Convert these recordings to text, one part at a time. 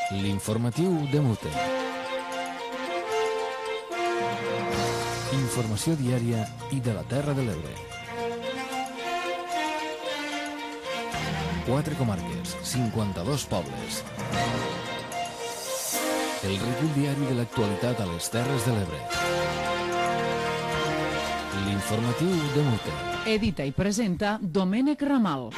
L'informatiu de Mute. Informació diària i de la Terra de l'Ebre. 4 comarques, 52 pobles. El recull diari de l'actualitat a les Terres de l'Ebre. L'informatiu de Mute. Edita i presenta Domènec Ramal.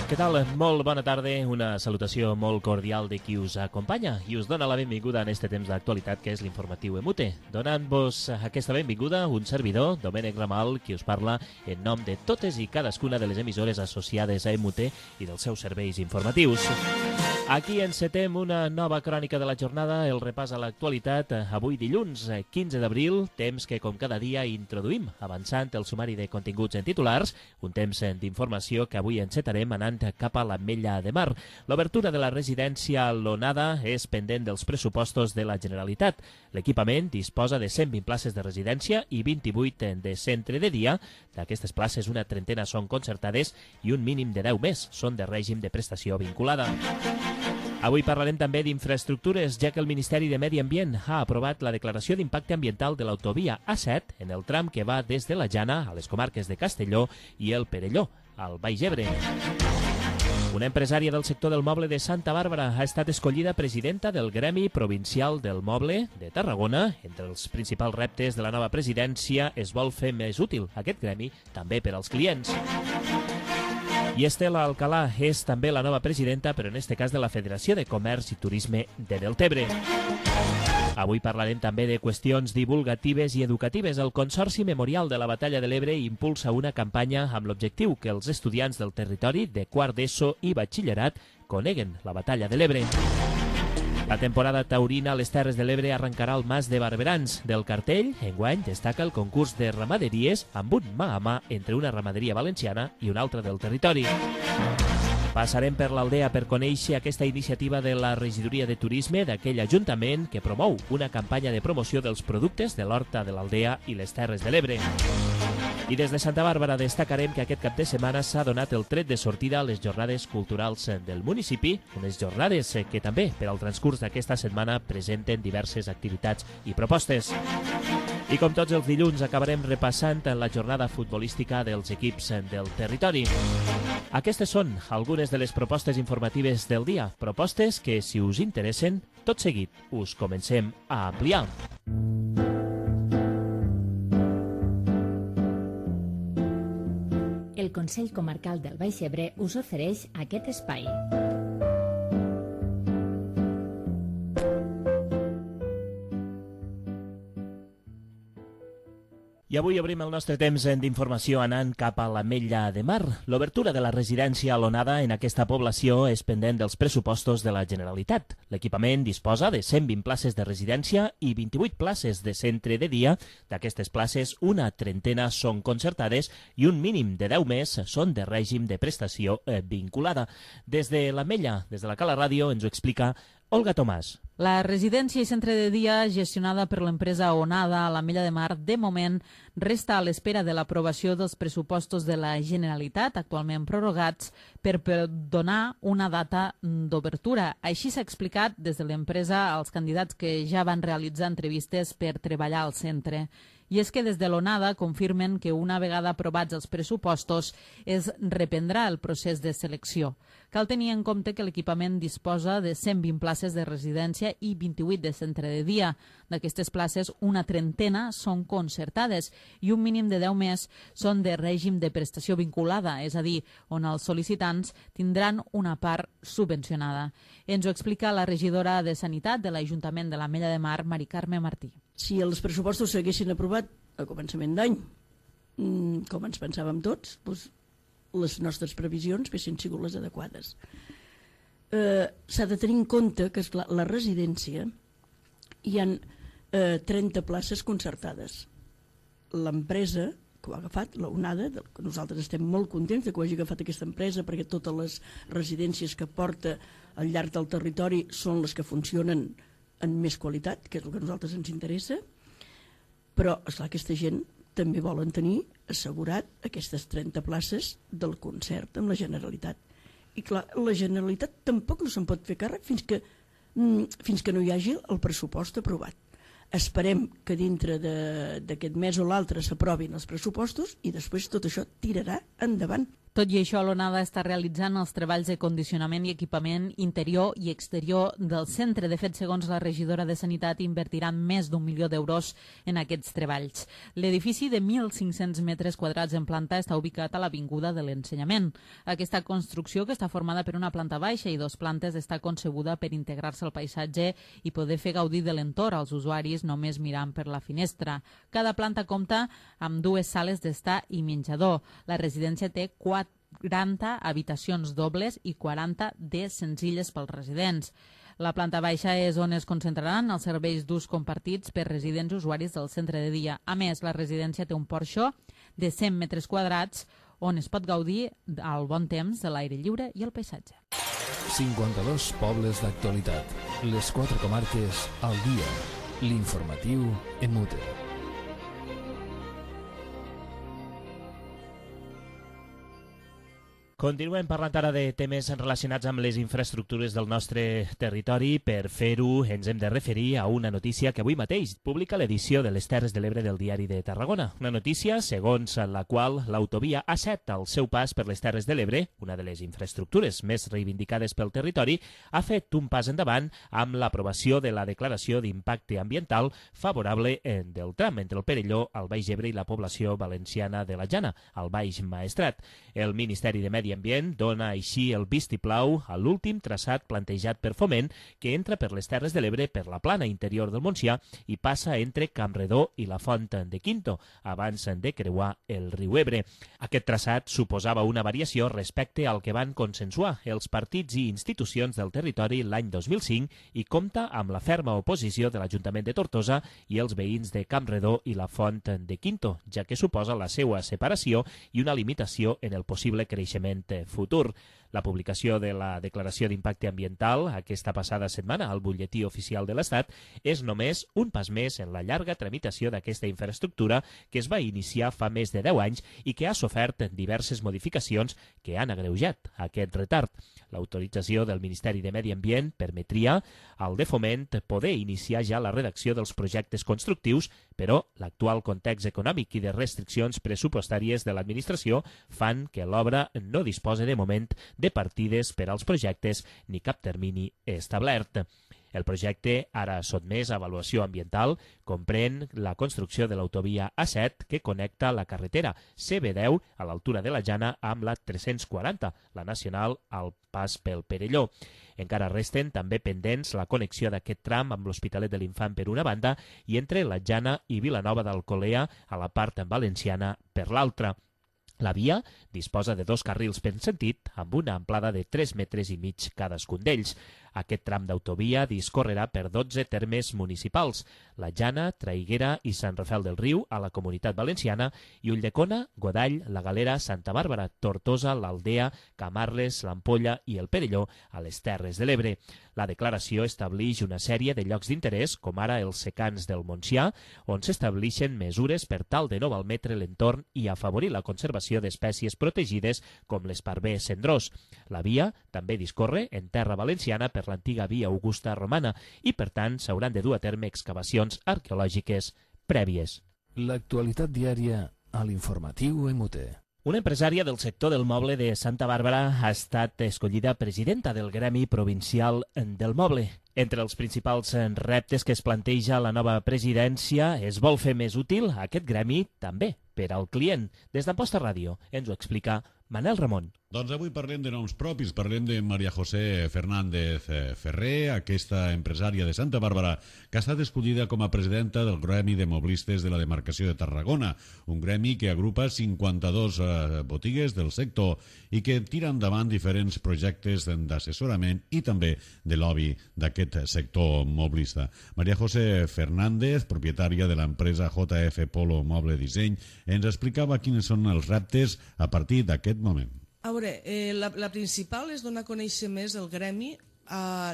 Què tal? Molt bona tarda, una salutació molt cordial de qui us acompanya i us dona la benvinguda en este temps d'actualitat que és l'informatiu EMUTE. Donant-vos aquesta benvinguda, un servidor, Domènec Ramal, qui us parla en nom de totes i cadascuna de les emissores associades a EMUTE i dels seus serveis informatius. Aquí encetem una nova crònica de la jornada, el repàs a l'actualitat, avui dilluns 15 d'abril, temps que com cada dia introduïm, avançant el sumari de continguts en titulars, un temps d'informació que avui encetarem anant cap a l'Ametlla de Mar. L'obertura de la residència L'Onada és pendent dels pressupostos de la Generalitat. L'equipament disposa de 120 places de residència i 28 de centre de dia. D'aquestes places, una trentena són concertades i un mínim de 10 més són de règim de prestació vinculada. Avui parlarem també d'infraestructures, ja que el Ministeri de Medi Ambient ha aprovat la declaració d'impacte ambiental de l'autovia A7 en el tram que va des de la Jana a les comarques de Castelló i el Perelló, al Baix Ebre. Una empresària del sector del moble de Santa Bàrbara ha estat escollida presidenta del Gremi Provincial del Moble de Tarragona. Entre els principals reptes de la nova presidència es vol fer més útil aquest gremi també per als clients. I Estela Alcalà és també la nova presidenta, però en este cas de la Federació de Comerç i Turisme de Deltebre. Avui parlarem també de qüestions divulgatives i educatives. El Consorci Memorial de la Batalla de l'Ebre impulsa una campanya amb l'objectiu que els estudiants del territori de quart d'ESO i batxillerat coneguen la Batalla de l'Ebre. La temporada taurina a les Terres de l'Ebre arrencarà al Mas de Barberans. Del cartell, enguany, destaca el concurs de ramaderies amb un mà a mà entre una ramaderia valenciana i una altra del territori. Passarem per l'Aldea per conèixer aquesta iniciativa de la Regidoria de Turisme d'aquell ajuntament que promou una campanya de promoció dels productes de l'Horta de l'Aldea i les Terres de l'Ebre. I des de Santa Bàrbara destacarem que aquest cap de setmana s'ha donat el tret de sortida a les jornades culturals del municipi, unes jornades que també per al transcurs d'aquesta setmana presenten diverses activitats i propostes. I com tots els dilluns acabarem repassant la jornada futbolística dels equips del territori. Aquestes són algunes de les propostes informatives del dia, propostes que, si us interessen, tot seguit us comencem a ampliar. El Consell Comarcal del Baix Ebre us ofereix aquest espai. I avui obrim el nostre temps d'informació anant cap a l'Ametlla de Mar. L'obertura de la residència L'Onada en aquesta població és pendent dels pressupostos de la Generalitat. L'equipament disposa de 120 places de residència i 28 places de centre de dia. D'aquestes places, una trentena són concertades i un mínim de 10 més són de règim de prestació vinculada. Des de l'Ametlla, des de la Cala Ràdio, ens ho explica Olga Tomàs. La residència i centre de dia gestionada per l'empresa Onada a l'Ametlla de Mar, de moment, resta a l'espera de l'aprovació dels pressupostos de la Generalitat, actualment prorrogats, per donar una data d'obertura. Així s'ha explicat des de l'empresa als candidats que ja van realitzar entrevistes per treballar al centre. I és que des de l'Onada confirmen que una vegada aprovats els pressupostos es reprendrà el procés de selecció. Cal tenir en compte que l'equipament disposa de 120 places de residència i 28 de centre de dia. D'aquestes places, una trentena són concertades i un mínim de 10 més són de règim de prestació vinculada, és a dir, on els sol·licitants tindran una part subvencionada. Ens ho explica la regidora de Sanitat de l'Ajuntament de l'Ametlla de Mar, Mari Carme Martí. Si els pressupostos s'haguessin aprovat a començament d'any, com ens pensàvem tots, doncs les nostres previsions haguessin sigut les adequades. S'ha de tenir en compte que la residència hi ha 30 places concertades. L'empresa que ho ha agafat, l'Onada, que nosaltres estem molt contents de que ho hagi agafat aquesta empresa perquè totes les residències que porta al llarg del territori són les que funcionen en més qualitat, que és el que a nosaltres ens interessa, però esclar, aquesta gent també volen tenir assegurat aquestes 30 places del concert amb la Generalitat. I clar, la Generalitat tampoc no se'n pot fer càrrec fins que fins que no hi hagi el pressupost aprovat. Esperem que dintre d'aquest mes o l'altre s'aprovin els pressupostos i després tot això tirarà endavant. Tot i això, l'Onada està realitzant els treballs de condicionament i equipament interior i exterior del centre. De fet, segons la regidora de Sanitat, invertiran més d'1 milió d'euros en aquests treballs. L'edifici de 1.500 metres quadrats en planta està ubicat a l'Avinguda de l'Ensenyament. Aquesta construcció, que està formada per una planta baixa i 2 plantes, està concebuda per integrar-se al paisatge i poder fer gaudir de l'entorn als usuaris només mirant per la finestra. Cada planta compta amb 2 sales d'estar i menjador. La residència té 40 habitacions dobles i 40 de senzilles pels residents. La planta baixa és on es concentraran els serveis d'ús compartits per residents usuaris del centre de dia. A més, la residència té un porxo de 100 metres quadrats on es pot gaudir al bon temps de l'aire lliure i el paisatge. 52 pobles d'actualitat. Les 4 comarques al dia. L'informatiu en Mute. Continuem parlant ara de temes relacionats amb les infraestructures del nostre territori. Per fer-ho ens hem de referir a una notícia que avui mateix publica l'edició de les Terres de l'Ebre del Diari de Tarragona. Una notícia segons la qual l'autovia A7, al seu pas per les Terres de l'Ebre, una de les infraestructures més reivindicades pel territori, ha fet un pas endavant amb l'aprovació de la declaració d'impacte ambiental favorable del tram entre el Perelló, el Baix Ebre i la població valenciana de la Jana, al Baix Maestrat. El Ministeri de Medi Ambient dona així el vistiplau a l'últim traçat plantejat per Foment, que entra per les Terres de l'Ebre per la plana interior del Montsià i passa entre Campredó i la Font de Quinto, abans de creuar el riu Ebre. Aquest traçat suposava una variació respecte al que van consensuar els partits i institucions del territori l'any 2005 i compta amb la ferma oposició de l'Ajuntament de Tortosa i els veïns de Campredó i la Font de Quinto, ja que suposa la seva separació i una limitació en el possible creixement futur. La publicació de la declaració d'impacte ambiental aquesta passada setmana al butlletí oficial de l'Estat és només un pas més en la llarga tramitació d'aquesta infraestructura que es va iniciar fa més de 10 anys i que ha sofert diverses modificacions que han agreujat aquest retard. L'autorització del Ministeri de Medi Ambient permetria al de Foment poder iniciar ja la redacció dels projectes constructius, però l'actual context econòmic i de restriccions pressupostàries de l'administració fan que l'obra no disposa de moment de partides per als projectes ni cap termini establert. El projecte, ara sotmès a avaluació ambiental, comprèn la construcció de l'autovia A7 que connecta la carretera CB10 a l'altura de la Jana amb la 340, la nacional al pas pel Perelló. Encara resten també pendents la connexió d'aquest tram amb l'Hospitalet de l'Infant per una banda i entre la Jana i Vilanova d'Alcolea a la part valenciana per l'altra. La via disposa de 2 carrils per sentit amb una amplada de 3,5 metres cadascun d'ells. Aquest tram d'autovia discorrerà per 12 termes municipals: la Jana, Traiguera i Sant Rafel del Riu, a la Comunitat Valenciana, i Ulldecona, Godall, la Galera, Santa Bàrbara, Tortosa, l'Aldea, Camarles, l'Ampolla i el Perelló, a les Terres de l'Ebre. La declaració estableix una sèrie de llocs d'interès, com ara els secans del Montsià, on s'estableixen mesures per tal de no malmetre l'entorn i afavorir la conservació d'espècies protegides com l'esparver cendrós. La via també discorre en terra valenciana per l'antiga via Augusta romana i, per tant, s'hauran de dur a terme excavacions arqueològiques prèvies. L'actualitat diària a l'informatiu MUT. Una empresària del sector del moble de Santa Bàrbara ha estat escollida presidenta del Gremi Provincial del Moble. Entre els principals reptes que es planteja la nova presidència es vol fer més útil aquest gremi també per al client. Des d'Amposta Ràdio ens ho explica Manel Ramon. Doncs avui parlem de noms propis, parlem de Maria José Fernández Ferrer, aquesta empresària de Santa Bàrbara, que ha estat escollida com a presidenta del Gremi de Moblistes de la demarcació de Tarragona, un gremi que agrupa 52 botigues del sector i que tira endavant diferents projectes d'assessorament i també de lobby d'aquest sector moblista. Maria José Fernández, propietària de l'empresa JF Polo Moble Disseny, ens explicava quins són els reptes a partir d'aquest moment. A veure, la principal és donar a conèixer més el gremi,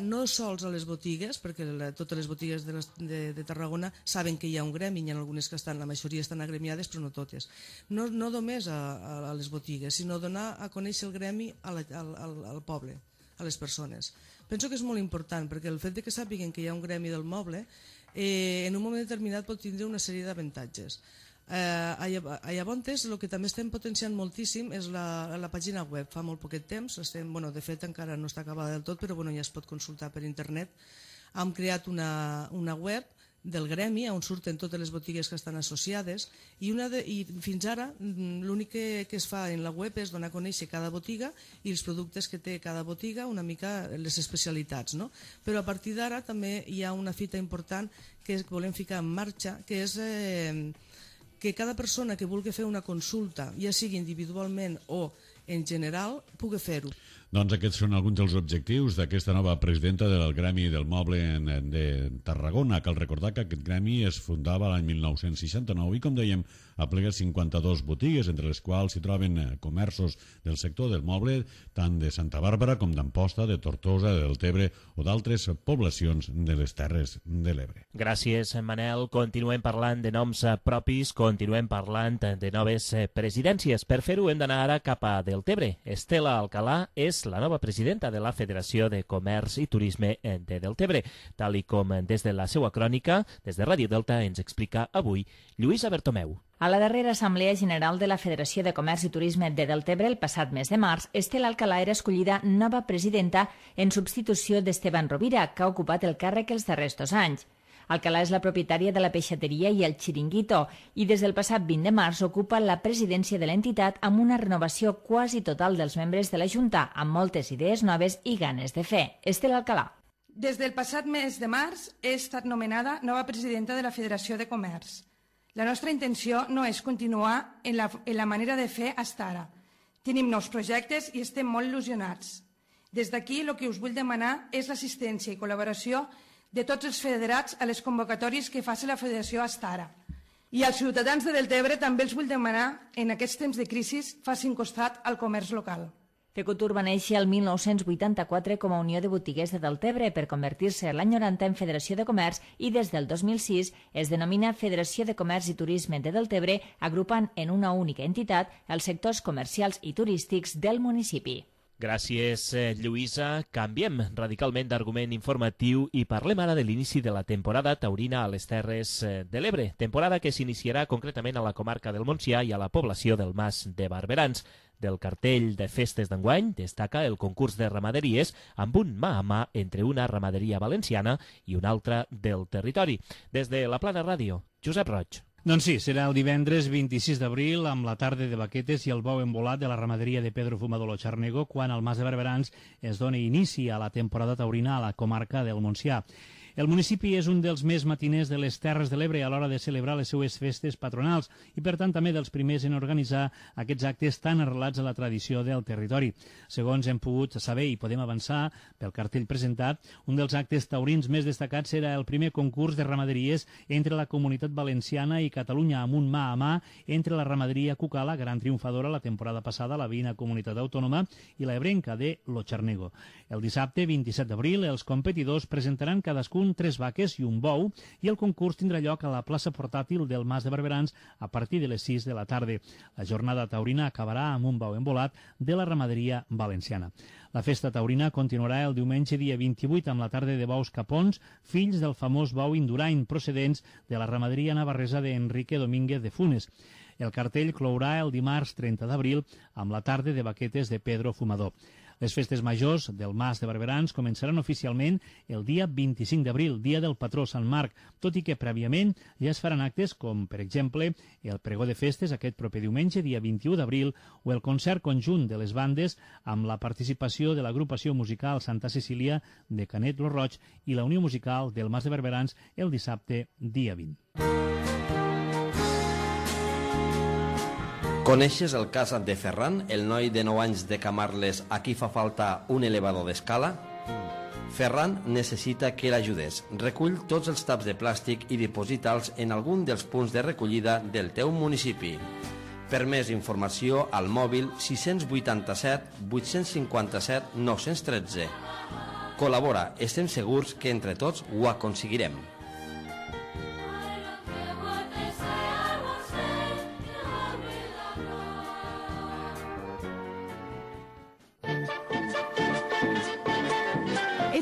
no sols a les botigues, perquè totes les botigues de Tarragona saben que hi ha un gremi, hi ha algunes que estan, la majoria estan agremiades, però no totes. No només a les botigues, sinó donar a conèixer el gremi al poble, a les persones. Penso que és molt important, perquè el fet de que sàpiguen que hi ha un gremi del moble en un moment determinat pot tindre una sèrie d'avantatges. Llavors, el que també estem potenciant moltíssim és la pàgina web. Fa molt poquet temps, de fet encara no està acabada del tot, però ja es pot consultar per internet. Hem creat una web del gremi on surten totes les botigues que estan associades i fins ara l'únic que es fa en la web és donar a conèixer cada botiga i els productes que té cada botiga, una mica les especialitats, no? Però a partir d'ara també hi ha una fita important que volem ficar en marxa, que és que cada persona que vulgui fer una consulta, ja sigui individualment o en general, pugui fer-ho. Doncs aquests són alguns dels objectius d'aquesta nova presidenta del Gremi del Moble de Tarragona. Cal recordar que aquest gremi es fundava l'any 1969 i, com dèiem, aplega 52 botigues, entre les quals s'hi troben comerços del sector del moble, tant de Santa Bàrbara com d'Amposta, de Tortosa, de Deltebre o d'altres poblacions de les Terres de l'Ebre. Gràcies, Manel. Continuem parlant de noms propis, continuem parlant de noves presidències. Per fer-ho hem d'anar ara cap a Deltebre. Estela Alcalà és la nova presidenta de la Federació de Comerç i Turisme de Deltebre, tal i com des de la seva crònica, des de Ràdio Delta, ens explica avui Lluïsa Bertomeu. A la darrera Assemblea General de la Federació de Comerç i Turisme de Deltebre, el passat mes de març, Estela Alcalà era escollida nova presidenta en substitució d'Esteban Rovira, que ha ocupat el càrrec els darrers 2 anys. Alcalà és la propietària de la peixateria i el xiringuito i des del passat 20 de març ocupa la presidència de l'entitat amb una renovació quasi total dels membres de la Junta, amb moltes idees noves i ganes de fer. Estela Alcalà. Des del passat mes de març he estat nomenada nova presidenta de la Federació de Comerç. La nostra intenció no és continuar en la manera de fer fins ara. Tenim nous projectes i estem molt il·lusionats. Des d'aquí el que us vull demanar és l'assistència i col·laboració de tots els federats a les convocatòries que faci la Federació fins ara. I als ciutadans de Deltebre també els vull demanar, en aquests temps de crisi, facin costat al comerç local. Fecutur va néixer el 1984 com a Unió de Botiguers de Deltebre per convertir-se l'any 90 en Federació de Comerç i des del 2006 es denomina Federació de Comerç i Turisme de Deltebre, agrupant en una única entitat els sectors comercials i turístics del municipi. Gràcies, Lluïsa. Canviem radicalment d'argument informatiu i parlem ara de l'inici de la temporada taurina a les Terres de l'Ebre, temporada que s'iniciarà concretament a la comarca del Montsià i a la població del Mas de Barberans. Del cartell de festes d'enguany destaca el concurs de ramaderies amb un mà a mà entre una ramaderia valenciana i una altra del territori. Des de la Plana Ràdio, Josep Roig. Doncs sí, serà el divendres 26 d'abril amb la tarda de baquetes i el bou embolat de la ramaderia de Pedro Fumador Xarnego quan al Mas de Barberans es doni inici a la temporada taurina a la comarca del Montsià. El municipi és un dels més matiners de les Terres de l'Ebre a l'hora de celebrar les seues festes patronals i, per tant, també dels primers en organitzar aquests actes tan arrelats a la tradició del territori. Segons hem pogut saber i podem avançar pel cartell presentat, un dels actes taurins més destacats serà el primer concurs de ramaderies entre la Comunitat Valenciana i Catalunya amb un mà a mà entre la ramaderia Cucala, gran triomfadora la temporada passada a la veïna comunitat autònoma, i la ebrenca de Lo Xarnego. El dissabte 27 d'abril els competidors presentaran cadascun 3 vaques i un bou i el concurs tindrà lloc a la plaça portàtil del Mas de Barberans a partir de les 6 de la tarda. La jornada taurina acabarà amb un bou embolat de la ramaderia valenciana. La festa taurina continuarà el diumenge dia 28 amb la tarda de bous capons, fills del famós bou Indurain procedents de la ramaderia navarresa d'Enrique Domínguez de Funes. El cartell clourà el dimarts 30 d'abril amb la tarda de baquetes de Pedro Fumador. Les festes majors del Mas de Barberans començaran oficialment el dia 25 d'abril, dia del patró Sant Marc, tot i que prèviament ja es faran actes com, per exemple, el pregó de festes aquest proper diumenge, dia 21 d'abril, o el concert conjunt de les bandes amb la participació de l'agrupació musical Santa Cecília de Canet lo Roig i la Unió Musical del Mas de Barberans el dissabte, dia 20. Coneixes el cas de Ferran, el noi de 9 anys de Camarles a qui fa falta un elevador d'escala? Ferran necessita que l'ajudes. Recull tots els taps de plàstic i diposita'ls en algun dels punts de recollida del teu municipi. Per més informació, al mòbil 687 857 913. Col·labora, estem segurs que entre tots ho aconseguirem.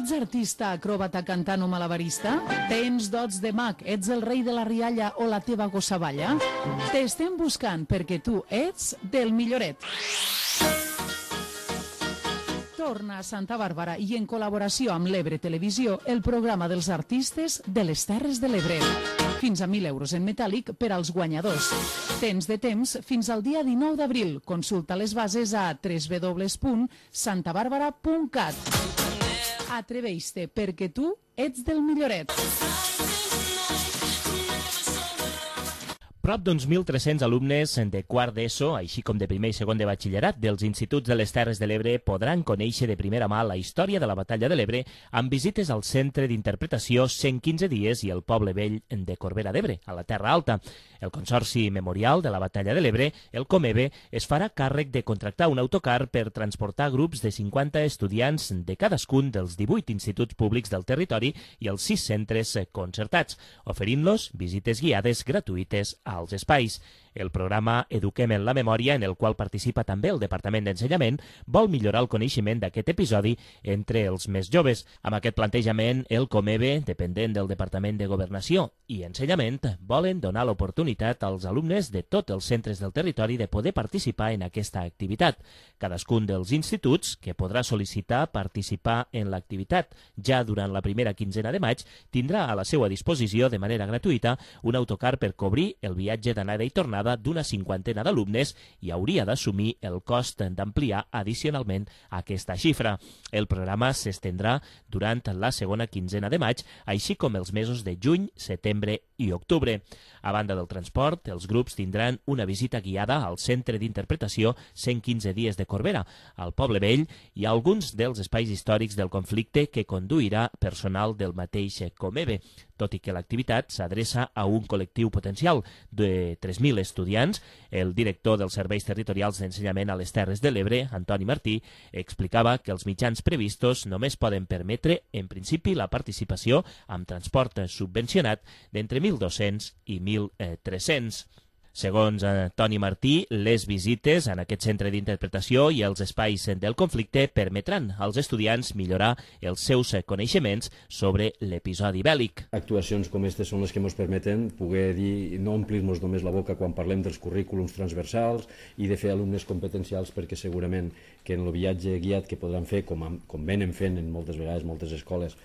Ets artista, acròbata, cantant o malabarista? Tens dots de mag, ets el rei de la rialla o la teva gossa balla? T'estem buscant perquè tu ets del milloret. Torna a Santa Bàrbara i en col·laboració amb l'Ebre Televisió el programa dels artistes de les Terres de l'Ebre. Fins a 1.000 euros en metàl·lic per als guanyadors. Tens de temps fins al dia 19 d'abril. Consulta les bases a www.santabarbara.cat. Atreveix-te perquè tu ets del milloret. Prop d'uns 1.300 alumnes de quart d'ESO, així com de primer i segon de batxillerat dels instituts de les Terres de l'Ebre podran conèixer de primera mà la història de la Batalla de l'Ebre amb visites al Centre d'Interpretació 115 dies i el Poble Vell de Corbera d'Ebre, a la Terra Alta. El Consorci Memorial de la Batalla de l'Ebre, el COMEBE, es farà càrrec de contractar un autocar per transportar grups de 50 estudiants de cadascun dels 18 instituts públics del territori i els 6 centres concertats, oferint-los visites guiades gratuïtes als espais. El programa Eduquem en la Memòria, en el qual participa també el Departament d'Ensenyament, vol millorar el coneixement d'aquest episodi entre els més joves. Amb aquest plantejament, el COMEBE, dependent del Departament de Governació i Ensenyament, volen donar l'oportunitat als alumnes de tots els centres del territori de poder participar en aquesta activitat. Cadascun dels instituts, que podrà sol·licitar participar en l'activitat ja durant la primera quinzena de maig, tindrà a la seva disposició de manera gratuïta un autocar per cobrir el viatge d'anada i tornada d'una 50 d'alumnes i hauria d'assumir el cost d'ampliar addicionalment aquesta xifra. El programa s'estendrà durant la segona quinzena de maig, així com els mesos de juny, setembre i octubre. A banda del transport, els grups tindran una visita guiada al Centre d'Interpretació 115 dies de Corbera, al Poble Vell i a alguns dels espais històrics del conflicte que conduirà personal del mateix COMEBE. Tot i que l'activitat s'adreça a un col·lectiu potencial de 3.000 estudiants, el director dels Serveis Territorials d'Ensenyament a les Terres de l'Ebre, Antoni Martí, explicava que els mitjans previstos només poden permetre, en principi, la participació amb transport subvencionat d'entre 1.200 i 1.300. Segons Toni Martí, les visites en aquest centre d'interpretació i els espais del conflicte permetran als estudiants millorar els seus coneixements sobre l'episodi bèl·lic. Actuacions com aquestes són les que ens permeten poder dir, no omplir-nos només la boca quan parlem dels currículums transversals i de fer alumnes competencials, perquè segurament que en el viatge guiat que podran fer, com venen fent en moltes vegades moltes escoles,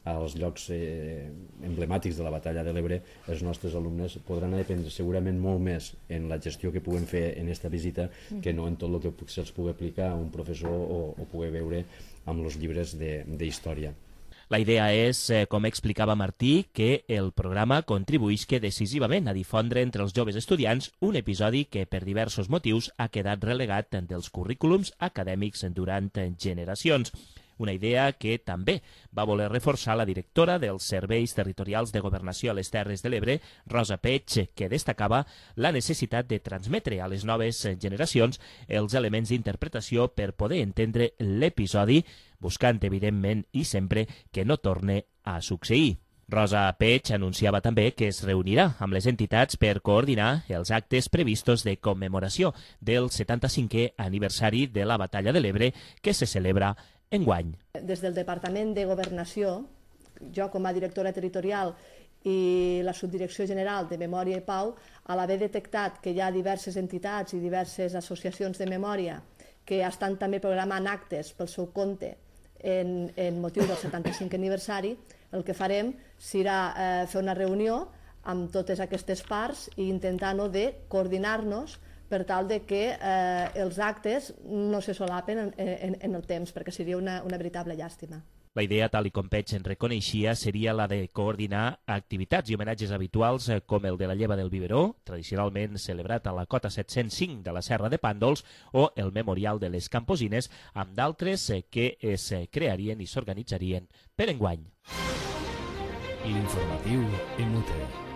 als llocs emblemàtics de la Batalla de l'Ebre, els nostres alumnes podran aprendre segurament molt més en la gestió que puguen fer en aquesta visita que no en tot el que se'ls pugui aplicar a un professor o pugui veure amb els llibres d'història. La idea és, com explicava Martí, que el programa contribuïsca decisivament a difondre entre els joves estudiants un episodi que per diversos motius ha quedat relegat dels currículums acadèmics durant generacions. Una idea que també va voler reforçar la directora dels Serveis Territorials de Governació a les Terres de l'Ebre, Rosa Peig, que destacava la necessitat de transmetre a les noves generacions els elements d'interpretació per poder entendre l'episodi, buscant, evidentment, i sempre que no torne a succeir. Rosa Peig anunciava també que es reunirà amb les entitats per coordinar els actes previstos de commemoració del 75è aniversari de la Batalla de l'Ebre que se celebra enguany. Des del Departament de Governació, jo com a directora territorial i la Subdirecció General de Memòria i Pau, a l'haver detectat que hi ha diverses entitats i diverses associacions de memòria que estan també programant actes pel seu compte en motiu del 75è aniversari, el que farem serà fer una reunió amb totes aquestes parts i intentar de coordinar-nos per tal de que els actes no se solapen en el temps, perquè seria una veritable llàstima. La idea, tal com Peig en reconeixia, seria la de coordinar activitats i homenatges habituals com el de la lleva del biberó, tradicionalment celebrat a la cota 705 de la Serra de Pàndols, o el memorial de les Camposines, amb d'altres que es crearien i s'organitzarien per enguany. L'informatiu Emute.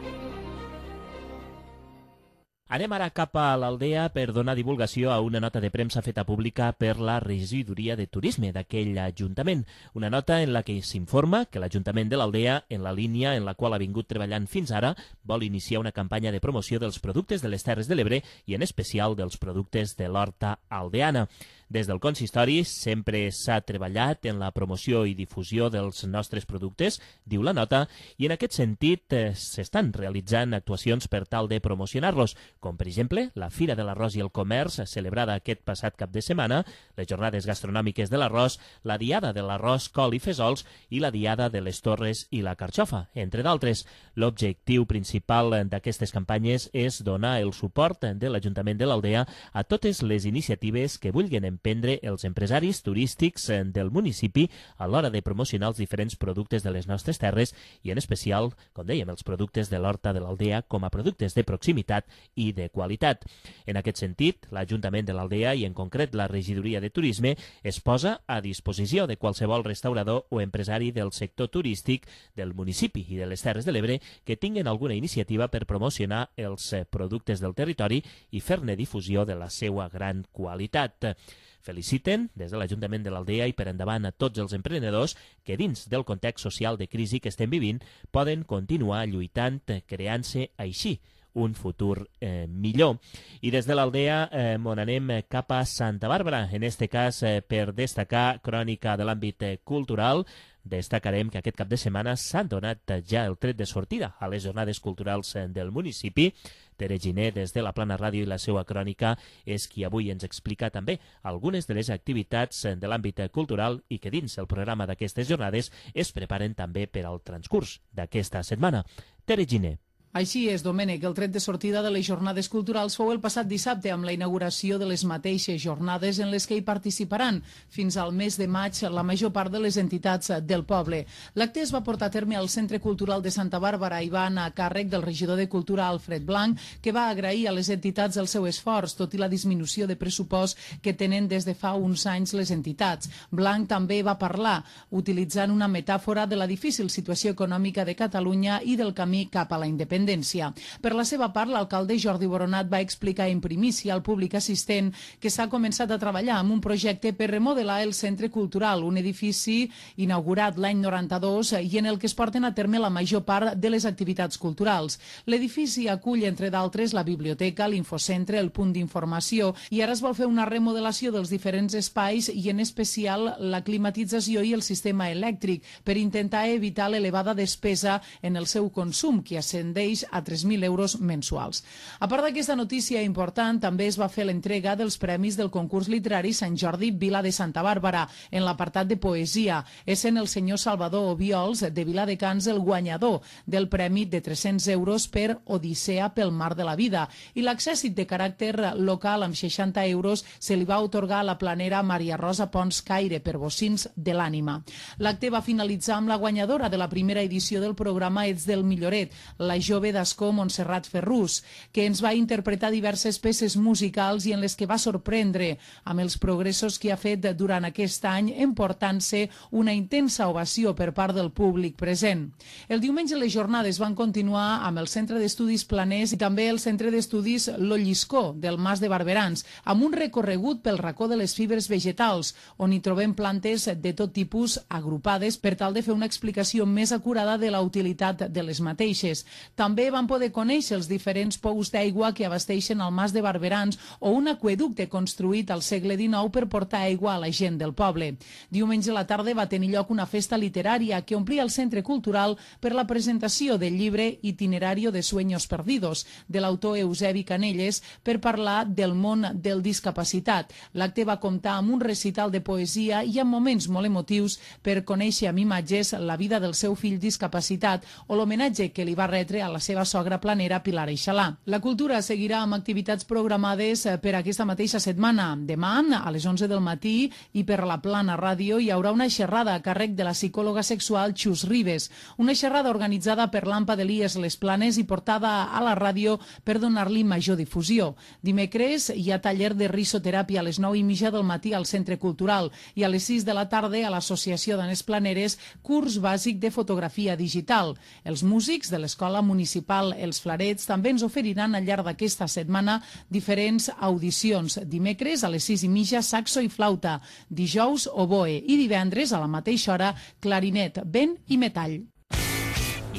Anem ara cap a l'Aldea per donar divulgació a una nota de premsa feta pública per la regidoria de turisme d'aquell ajuntament. Una nota en la que s'informa que l'Ajuntament de l'Aldea, en la línia en la qual ha vingut treballant fins ara, vol iniciar una campanya de promoció dels productes de les Terres de l'Ebre i en especial dels productes de l'horta aldeana. Des del consistori sempre s'ha treballat en la promoció i difusió dels nostres productes, diu la nota, i en aquest sentit s'estan realitzant actuacions per tal de promocionar-los, com per exemple la Fira de l'Arròs i el Comerç, celebrada aquest passat cap de setmana, les jornades gastronòmiques de l'arròs, la Diada de l'Arròs, Col i Fesols i la Diada de les Torres i la Carxofa, entre d'altres. L'objectiu principal d'aquestes campanyes és donar el suport de l'Ajuntament de l'Aldea a totes les iniciatives que vulguin emprendre els empresaris turístics del municipi a l'hora de promocionar els diferents productes de les nostres terres i en especial, com dèiem, els productes de l'Horta de l'Aldea com a productes de proximitat i de qualitat. En aquest sentit, l'Ajuntament de l'Aldea i en concret la Regidoria de Turisme es posa a disposició de qualsevol restaurador o empresari del sector turístic del municipi i de les Terres de l'Ebre que tinguin alguna iniciativa per promocionar els productes del territori i fer-ne difusió de la seva gran qualitat. Feliciten des de l'Ajuntament de l'Aldea i per endavant a tots els emprenedors que dins del context social de crisi que estem vivint poden continuar lluitant, creant-se així un futur millor. I des de l'Aldea on anem cap a Santa Bàrbara, en este cas per destacar crònica de l'àmbit cultural. Destacarem que aquest cap de setmana s'han donat ja el tret de sortida a les jornades culturals del municipi. Tere Giner, des de la Plana Ràdio i la seva crònica, és qui avui ens explica també algunes de les activitats de l'àmbit cultural i que dins el programa d'aquestes jornades es preparen també per al transcurs d'aquesta setmana. Tere Giner. Així és, Domènec, el tret de sortida de les jornades culturals fou el passat dissabte amb la inauguració de les mateixes jornades en les que hi participaran fins al mes de maig la major part de les entitats del poble. L'acte es va portar a terme al Centre Cultural de Santa Bàrbara i va anar a càrrec del regidor de Cultura, Alfred Blanc, que va agrair a les entitats el seu esforç, tot i la disminució de pressupost que tenen des de fa uns anys les entitats. Blanc també va parlar, utilitzant una metàfora de la difícil situació econòmica de Catalunya i del camí cap a la independència. Per la seva part, l'alcalde Jordi Boronat va explicar en primícia al públic assistent que s'ha començat a treballar amb un projecte per remodelar el Centre Cultural, un edifici inaugurat l'any 92 i en el que es porten a terme la major part de les activitats culturals. L'edifici acull, entre d'altres, la biblioteca, l'infocentre, el punt d'informació i ara es vol fer una remodelació dels diferents espais i en especial la climatització i el sistema elèctric per intentar evitar l'elevada despesa en el seu consum, que ascendeix a 3.000 euros mensuals. A part d'aquesta notícia important, també es va fer l'entrega dels premis del concurs literari Sant Jordi Vila de Santa Bàrbara en l'apartat de poesia. És en el senyor Salvador Obiols de Viladecans el guanyador del premi de 300 euros per Odissea pel mar de la vida i l'accèssit de caràcter local amb 60 euros se li va otorgar a la planera Maria Rosa Pons Caire per Bocins de l'Ànima. L'acte va finalitzar amb la guanyadora de la primera edició del programa Ets del Milloret, la jove d'Ascó Montserrat Ferrús, que ens va interpretar diverses peces musicals i en les que va sorprendre amb els progressos que ha fet durant aquest any, emportant-se una intensa ovació per part del públic present. El diumenge les jornades van continuar amb el Centre d'Estudis Planers i també el Centre d'Estudis L'Olliscó del Mas de Barberans, amb un recorregut pel racó de les fibres vegetals, on hi trobem plantes de tot tipus agrupades per tal de fer una explicació més acurada de la utilitat de les mateixes. També van poder conèixer els diferents pous d'aigua que abasteixen el Mas de Barberans o un aqüeducte construït al segle XIX per portar aigua a la gent del poble. Diumenge a la tarda va tenir lloc una festa literària que omplia el Centre Cultural per la presentació del llibre Itinerario de Sueños Perdidos, de l'autor Eusebi Canelles, per parlar del món del discapacitat. L'acte va comptar amb un recital de poesia i amb moments molt emotius per conèixer amb imatges la vida del seu fill discapacitat o l'homenatge que li va retre a la seva sogra planera Pilar Eixalà. La cultura seguirà amb activitats programades per aquesta mateixa setmana. Demà, a les 11 del matí, i per la Plana Ràdio hi haurà una xerrada a càrrec de la psicòloga sexual Xus Ribes, una xerrada organitzada per l'AMPA d'Elies Les Planes i portada a la ràdio per donar-li major difusió. Dimecres hi ha taller de risoteràpia a les 9:30 del matí al Centre Cultural i a les 6 de la tarda a l'Associació Dones Planeres curs bàsic de fotografia digital. Els músics de l'Escola Municipal Els Flarets també ens oferiran al llarg d'aquesta setmana diferents audicions. Dimecres a les 6:30 saxo i flauta, dijous oboe i divendres a la mateixa hora clarinet, vent i metall.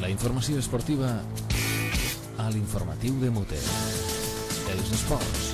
La informació esportiva a l'informatiu de Mute. Els esports.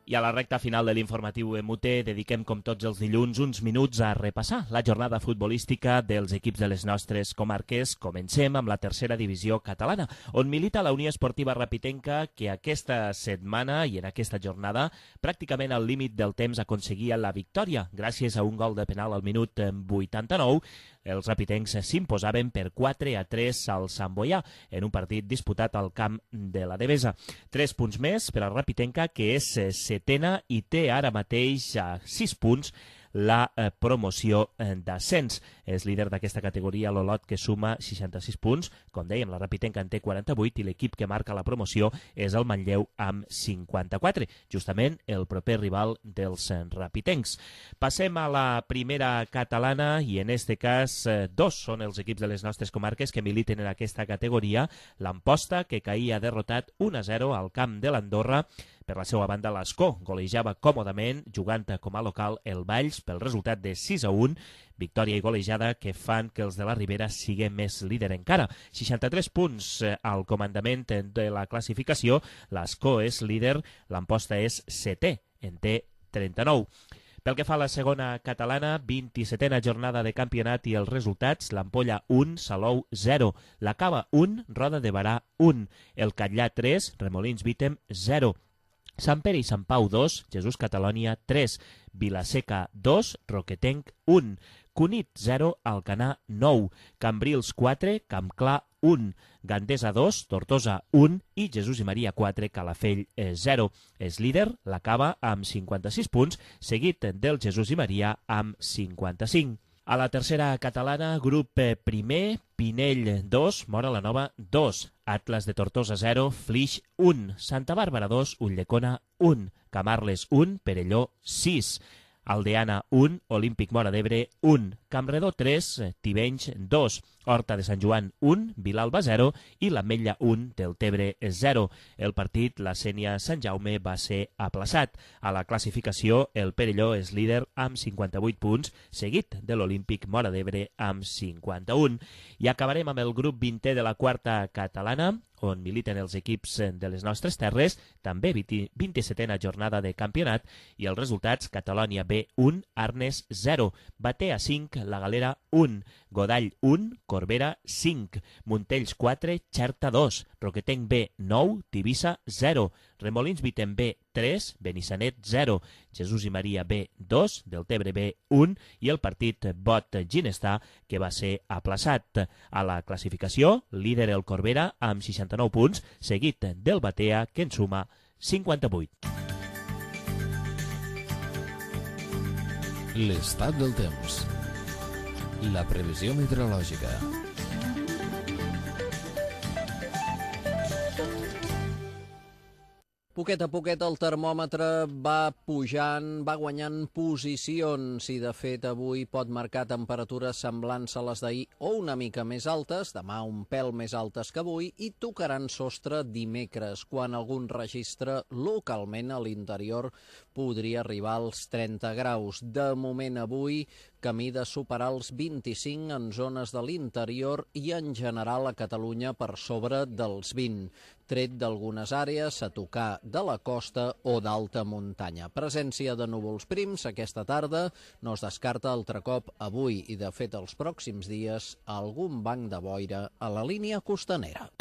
I a la recta final de l'informatiu MUT dediquem, com tots els dilluns, uns minuts a repassar la jornada futbolística dels equips de les nostres comarques. Comencem amb la tercera divisió catalana, on milita la Unió Esportiva Rapitenca, que aquesta setmana i en aquesta jornada, pràcticament al límit del temps, aconseguia la victòria. Gràcies a un gol de penal al minut 89, els rapitencs s'imposaven per 4-3 al Sant Boià, en un partit disputat al camp de la Devesa. 3 punts més per al Rapitenca, que és setena i té ara mateix a 6 punts la promoció d'ascens. És líder d'aquesta categoria l'Olot, que suma 66 punts. Com dèiem, la Rapitenca en té 48 i l'equip que marca la promoció és el Manlleu amb 54, justament el proper rival dels rapitencs. Passem a la primera catalana i en este cas dos són els equips de les nostres comarques que militen en aquesta categoria. L'Amposta, que caïa derrotat 1-0 al camp de l'Andorra. Per la seva banda, l'Escó golejava còmodament, jugant com a local el Valls pel resultat de 6-1, victòria i golejada que fan que els de la Ribera siguin més líder encara. 63 punts al comandament de la classificació, l'Escó és líder, l'Amposta és setè, en té 39. Pel que fa a la segona catalana, 27a jornada de campionat i els resultats: l'Ampolla 1, Salou 0, la Cava 1, Roda de Barà 1, el Catllà 3, Remolins Vítem 0, Sant Pere i Sant Pau 2, Jesús Catalònia 3, Vilaseca 2, Roquetenc 1, Cunit 0, Alcanar 9, Cambrils 4, Campclar 1, Gandesa 2, Tortosa 1 i Jesús i Maria 4, Calafell 0. És líder la Cava amb 56 punts, seguit del Jesús i Maria amb 55. A la tercera catalana, grup primer, Pinell 2, Móra la Nova 2, Atlas de Tortosa 0, Flix 1, Santa Bàrbara 2, Ulldecona 1, Camarles 1, Perelló 6, Aldeana 1, Olímpic Móra d'Ebre 1, Campredó 3, Tivenys 2, Horta de Sant Joan 1, Vilalba 0 i l'Ametlla 1, Deltebre 0. El partit, la Sénia Sant Jaume, va ser aplaçat. A la classificació, el Perelló és líder amb 58 punts, seguit de l'Olímpic Móra d'Ebre amb 51. I acabarem amb el grup 20è de la quarta catalana, on militen els equips de les nostres terres, també 27a jornada de campionat, i els resultats: Catalònia B 1, Arnes 0, Batea 5, La Galera 1, Godall 1, Corbera 5, Montells 4, Xerta 2, Roquetenc B 9, Tivissa 0, Remolins Vítem B 3, Benissanet 0, Jesús i Maria B 2, Deltebre B 1 i el partit Bot Ginestar, que va ser aplaçat. A la classificació, líder el Corbera amb 69 punts, seguit del Batea, que en suma 58. L'estat del temps. La previsió meteorològica. Poquet a poquet el termòmetre va pujant, va guanyant posicions i de fet avui pot marcar temperatures semblants a les d'ahir o una mica més altes, demà un pèl més altes que avui, i tocaran sostre dimecres, quan algun registre localment a l'interior podria arribar als 30 graus. De moment avui camí de superar els 25 en zones de l'interior i en general a Catalunya per sobre dels 20, tret d'algunes àrees a tocar de la costa o d'alta muntanya. Presència de núvols prims aquesta tarda, no es descarta altre cop avui i de fet els pròxims dies algun banc de boira a la línia costanera.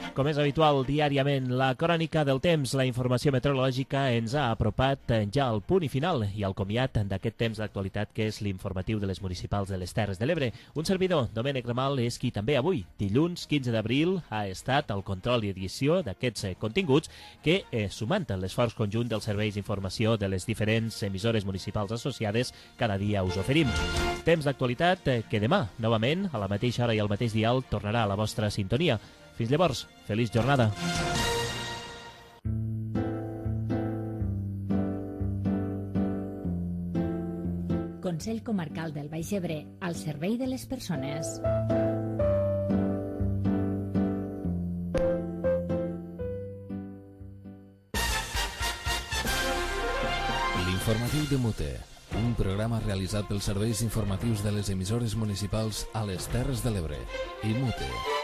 Com és habitual, diàriament, la crònica del temps, la informació meteorològica, ens ha apropat ja al punt i final i al comiat d'aquest temps d'actualitat que és l'informatiu de les municipals de les Terres de l'Ebre. Un servidor, Domènec Ramal, és qui també avui, dilluns 15 d'abril, ha estat al control i edició d'aquests continguts que, sumant l'esforç conjunt dels serveis d'informació de les diferents emissores municipals associades, cada dia us oferim. Temps d'actualitat que demà, novament, a la mateixa hora i al mateix dial, tornarà a la vostra sintonia. Fins llavors, feliç jornada. Consell Comarcal del Baix Ebre, al servei de les persones. L'informatiu de Mute, un programa realitzat pels serveis informatius de les emissores municipals a les Terres de l'Ebre i Mute.